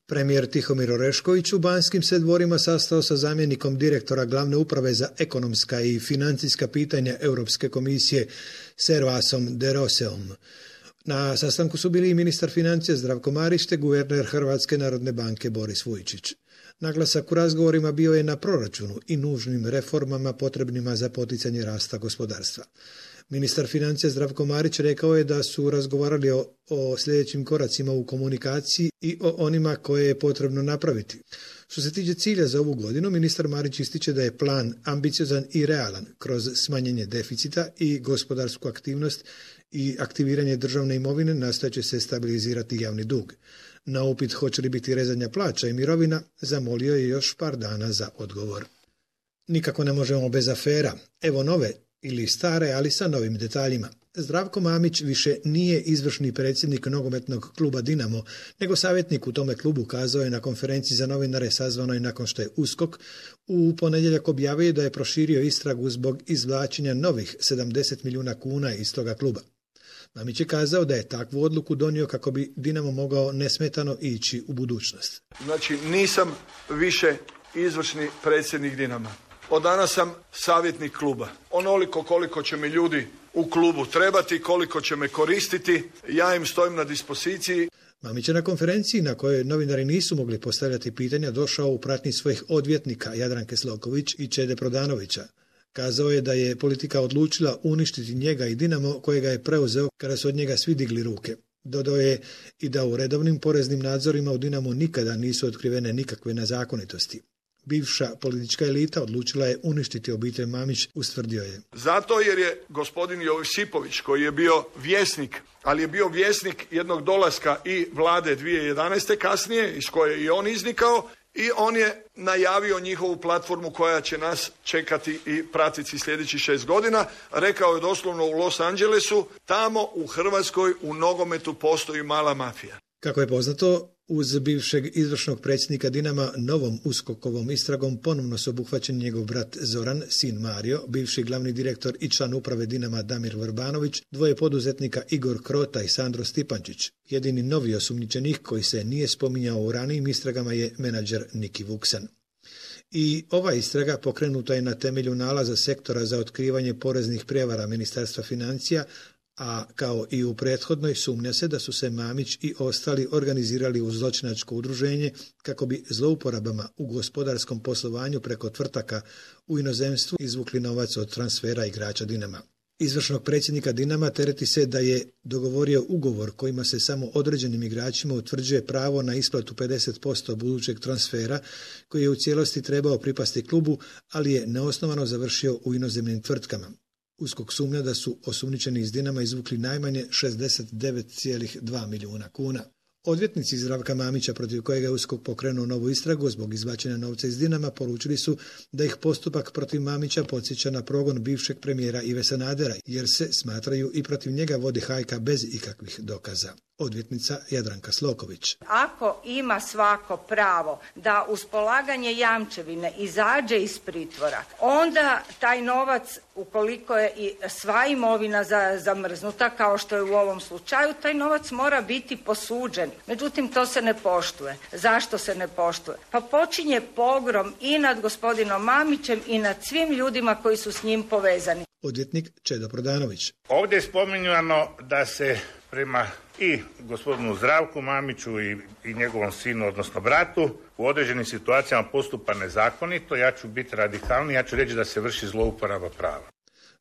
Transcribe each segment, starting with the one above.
Premijer Tihomir Orešković u Banskim se dvorima sastao sa zamjenikom direktora Glavne uprave za ekonomska i financijska pitanja Europske komisije Servasom de Roseom. Na sastanku su bili i ministar financija Zdravko Marić te guverner Hrvatske narodne banke Boris Vujčić. Naglasak u razgovorima bio je na proračunu i nužnim reformama potrebnima za poticanje rasta gospodarstva. Ministar financija Zdravko Marić rekao je da su razgovarali o sljedećim koracima u komunikaciji i o onima koje je potrebno napraviti. Što se tiče cilja za ovu godinu, ministar Marić ističe da je plan ambiciozan i realan kroz smanjenje deficita i gospodarsku aktivnost i aktiviranje državne imovine nastojeće se stabilizirati javni dug. Na upit hoće li biti rezanja plaća i mirovina, zamolio je još par dana za odgovor. Nikako ne možemo bez afera. Evo nove ili stare, ali sa novim detaljima. Zdravko Mamić više nije izvršni predsjednik nogometnog kluba Dinamo, nego savjetnik u tome klubu, kazao je na konferenciji za novinare sazvanoj nakon što je USKOK u ponedjeljak objavio da je proširio istragu zbog izvlačenja novih 70 milijuna kuna iz toga kluba. Mamić je kazao da je takvu odluku donio kako bi Dinamo mogao nesmetano ići u budućnost. Znači nisam više izvršni predsjednik Dinama. Od danas sam savjetnik kluba. Onoliko koliko će mi ljudi u klubu trebati, koliko će me koristiti, ja im stojim na dispoziciji. Mamić je na konferenciji na kojoj novinari nisu mogli postavljati pitanja došao u pratnji svojih odvjetnika Jadranke Sloković i Čede Prodanovića. Kazao je da je politika odlučila uništiti njega i Dinamo kojega je preuzeo kada su od njega svi digli ruke. Dodao je i da u redovnim poreznim nadzorima u Dinamu nikada nisu otkrivene nikakve nezakonitosti. Bivša politička elita odlučila je uništiti obitelj Mamić, ustvrdio je. Zato jer je gospodin Josipović, koji je bio vjesnik, ali je bio vjesnik jednog dolaska i vlade 2011. kasnije, iz koje je i on iznikao, i on je najavio njihovu platformu koja će nas čekati i pratiti sljedećih 6 godina. Rekao je doslovno u Los Angelesu, tamo u Hrvatskoj u nogometu postoji mala mafija. Kako je poznato, uz bivšeg izvršnog predsjednika Dinama novom USKOK-ovom istragom ponovno su obuhvaćen njegov brat Zoran, sin Mario, bivši glavni direktor i član uprave Dinama Damir Vrbanović, dvoje poduzetnika Igor Krota i Sandro Stipančić. Jedini novi osumnjičenik koji se nije spominjao u ranijim istragama je menadžer Niki Vuksan. I ova istraga pokrenuta je na temelju nalaza sektora za otkrivanje poreznih prijevara Ministarstva financija, a kao i u prethodnoj sumnja se da su se Mamić i ostali organizirali u zločinačko udruženje kako bi zlouporabama u gospodarskom poslovanju preko tvrtaka u inozemstvu izvukli novac od transfera igrača Dinama. Izvršnog predsjednika Dinama tereti se da je dogovorio ugovor kojima se samo određenim igračima utvrđuje pravo na isplatu 50% budućeg transfera koji je u cijelosti trebao pripasti klubu, ali je neosnovano završio u inozemnim tvrtkama. USKOK sumnja da su osumnjičeni iz Dinama izvukli najmanje 69,2 milijuna kuna. Odvjetnici Zdravka Mamića, protiv kojega je USKOK pokrenuo novu istragu zbog izvlačenja novca iz Dinama, poručili su da ih postupak protiv Mamića podsjeća na progon bivšeg premijera Ive Sanadera, jer se, smatraju, i protiv njega vodi hajka bez ikakvih dokaza. Odvjetnica Jadranka Sloković. Ako ima svako pravo da uz polaganje jamčevine izađe iz pritvora, onda taj novac, ukoliko je i sva imovina zamrznuta, kao što je u ovom slučaju, taj novac mora biti posuđen. Međutim, to se ne poštuje. Zašto se ne poštuje? Pa počinje pogrom i nad gospodinom Mamićem i nad svim ljudima koji su s njim povezani. Odvjetnik Čedo Prodanović. Ovdje je spominjano da se prema i gospodinu Zdravku Mamiću i njegovom sinu, odnosno bratu, u određenim situacijama postupa nezakonito. Ja ću biti radikalni, ja ću reći da se vrši zlouporaba prava.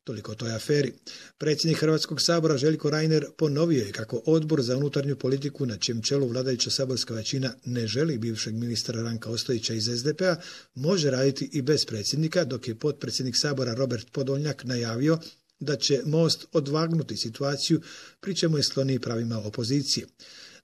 Toliko o toj aferi. Predsjednik Hrvatskog sabora Željko Reiner ponovio je kako Odbor za unutarnju politiku, na čijem čelu vladajuća saborska većina ne želi bivšeg ministra Ranka Ostojića iz SDP-a, može raditi i bez predsjednika, dok je potpredsjednik sabora Robert Podolnjak najavio da će Most odvagnuti situaciju, pri čemu je skloniji pravima opozicije.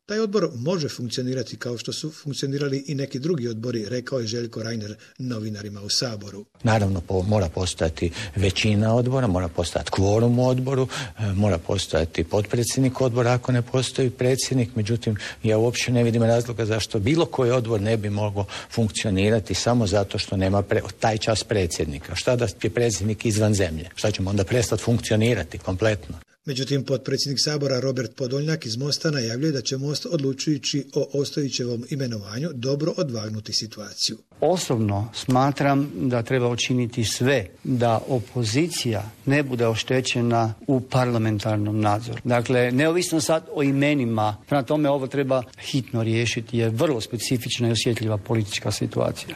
Taj odbor može funkcionirati kao što su funkcionirali i neki drugi odbori, rekao je Željko Reiner novinarima u Saboru. Naravno, mora postojati većina odbora, mora postojati kvorum u odboru, mora postojati potpredsjednik odbora ako ne postoji predsjednik. Međutim, ja uopće ne vidim razloga zašto bilo koji odbor ne bi mogao funkcionirati samo zato što nema taj čas predsjednika. Šta da je predsjednik izvan zemlje? Šta ćemo onda prestati funkcionirati kompletno? Međutim, potpredsjednik Sabora Robert Podolnjak iz Mosta najavljuje da će Most odlučujući o Ostojićevom imenovanju dobro odvagnuti situaciju. Osobno smatram da treba učiniti sve da opozicija ne bude oštećena u parlamentarnom nadzoru. Dakle, neovisno sad o imenima, prema tome ovo treba hitno riješiti jer je vrlo specifična i osjetljiva politička situacija.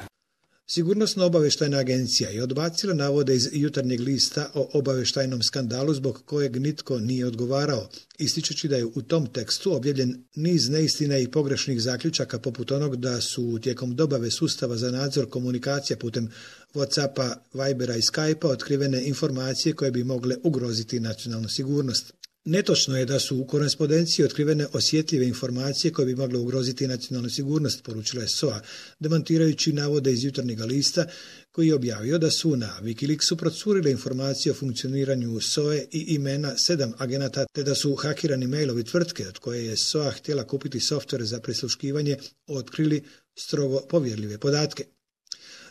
Sigurnosno-obavještajna agencija je odbacila navode iz Jutarnjeg lista o obavještajnom skandalu zbog kojeg nitko nije odgovarao, ističući da je u tom tekstu objavljen niz neistina i pogrešnih zaključaka poput onog da su tijekom dobave sustava za nadzor komunikacija putem WhatsAppa, Vibera i Skypea otkrivene informacije koje bi mogle ugroziti nacionalnu sigurnost. Netočno je da su u korespondenciji otkrivene osjetljive informacije koje bi mogle ugroziti nacionalnu sigurnost, poručila je SOA, demantirajući navode iz Jutarnjega lista koji je objavio da su na Wikileaksu procurile informacije o funkcioniranju SOA i imena 7 agenata, te da su hakirani mailovi tvrtke od koje je SOA htjela kupiti software za prisluškivanje otkrili strogo povjerljive podatke.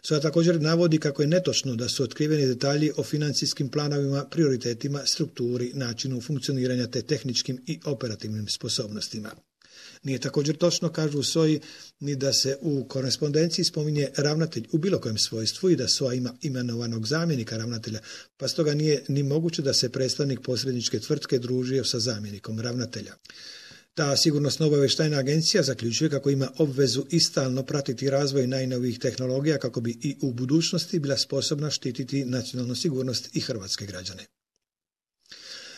SOA također navodi kako je netočno da su otkriveni detalji o financijskim planovima, prioritetima, strukturi, načinu funkcioniranja te tehničkim i operativnim sposobnostima. Nije također točno, kažu u SOA-i, ni da se u korespondenciji spominje ravnatelj u bilo kojem svojstvu i da SOA ima imenovanog zamjenika ravnatelja, pa stoga nije ni moguće da se predstavnik posredničke tvrtke družio sa zamjenikom ravnatelja. Ta sigurnosno-obavještajna agencija zaključuje kako ima obvezu i stalno pratiti razvoj najnovijih tehnologija kako bi i u budućnosti bila sposobna štititi nacionalnu sigurnost i hrvatske građane.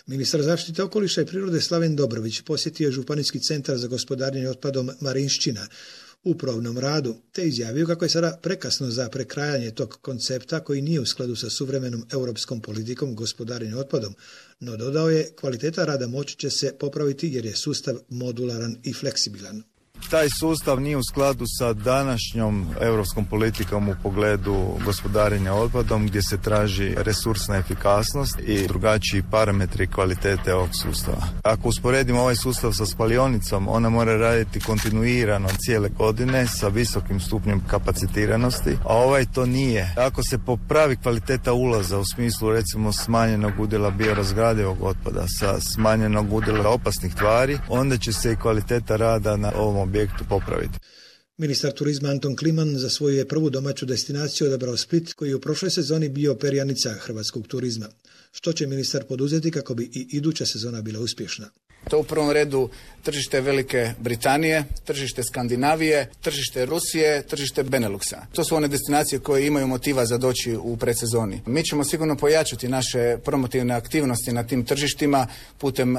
Ministar zaštite okoliša i prirode Slaven Dobrović posjetio je Županijski centar za gospodarenje otpadom Marinšćina u probnom radu, te izjavio kako je sada prekasno za prekrajanje tog koncepta koji nije u skladu sa suvremenom europskom politikom gospodarenja otpadom, no dodao je kvaliteta rada moći će se popraviti jer je sustav modularan i fleksibilan. Taj sustav nije u skladu sa današnjom europskom politikom u pogledu gospodarenja otpadom gdje se traži resursna efikasnost i drugačiji parametri kvalitete ovog sustava. Ako usporedimo ovaj sustav sa spalionicom, ona mora raditi kontinuirano cijele godine sa visokim stupnjem kapacitiranosti, a ovaj to nije. Ako se popravi kvaliteta ulaza u smislu recimo smanjenog udjela biorazgradivog otpada sa smanjenog udjela opasnih tvari, onda će se i kvaliteta rada na ovom objektu popraviti. Ministar turizma Anton Kliman za svoju je prvu domaću destinaciju odabrao Split, koji je u prošloj sezoni bio perjanica hrvatskog turizma. Što će ministar poduzeti kako bi i iduća sezona bila uspješna? To u prvom redu tržište Velike Britanije, tržište Skandinavije, tržište Rusije, tržište Beneluxa. To su one destinacije koje imaju motiva za doći u predsezoni. Mi ćemo sigurno pojačati naše promotivne aktivnosti na tim tržištima putem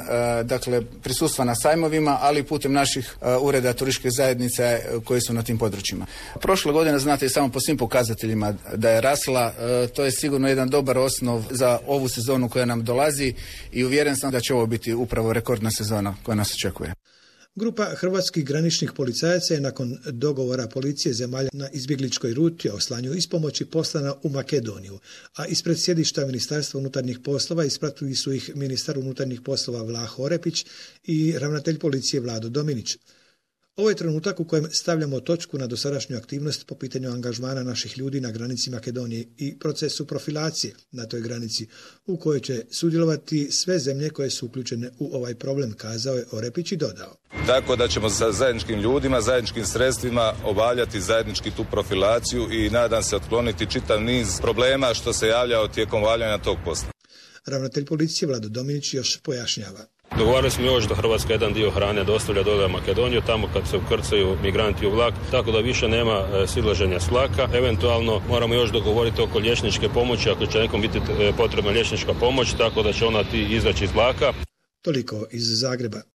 prisustva na sajmovima, ali i putem naših ureda turističke zajednice koji su na tim područjima. Prošle godine, znate i samo po svim pokazateljima da je rasla, to je sigurno jedan dobar osnov za ovu sezonu koja nam dolazi i uvjeren sam da će ovo biti upravo rekordna sezona koja nas očekuje. Grupa hrvatskih graničnih policajaca je nakon dogovora policije zemalja na izbjegličkoj ruti o slanju ispomoći poslana u Makedoniju, a ispred sjedišta Ministarstva unutarnjih poslova ispratili su ih ministar unutarnjih poslova Vlaho Orepić i ravnatelj policije Vlado Dominić. Ovo je trenutak u kojem stavljamo točku na dosadašnju aktivnost po pitanju angažmana naših ljudi na granici Makedonije i procesu profilacije na toj granici u kojoj će sudjelovati sve zemlje koje su uključene u ovaj problem, kazao je Orepić i dodao. Tako da ćemo sa zajedničkim ljudima, zajedničkim sredstvima obavljati zajednički tu profilaciju i nadam se otkloniti čitav niz problema što se javljao tijekom obavljanja tog posla. Ravnatelj policije Vlado Dominić još pojašnjava. Dogovarali smo još da Hrvatska jedan dio hrane dostavlja do Makedoniju, tamo kad se ukrcaju migranti u vlak, tako da više nema silaženja s vlaka. Eventualno moramo još dogovoriti oko liječničke pomoći, ako će nekom biti potrebna liječnička pomoć, tako da će ona izaći iz vlaka. Toliko iz Zagreba.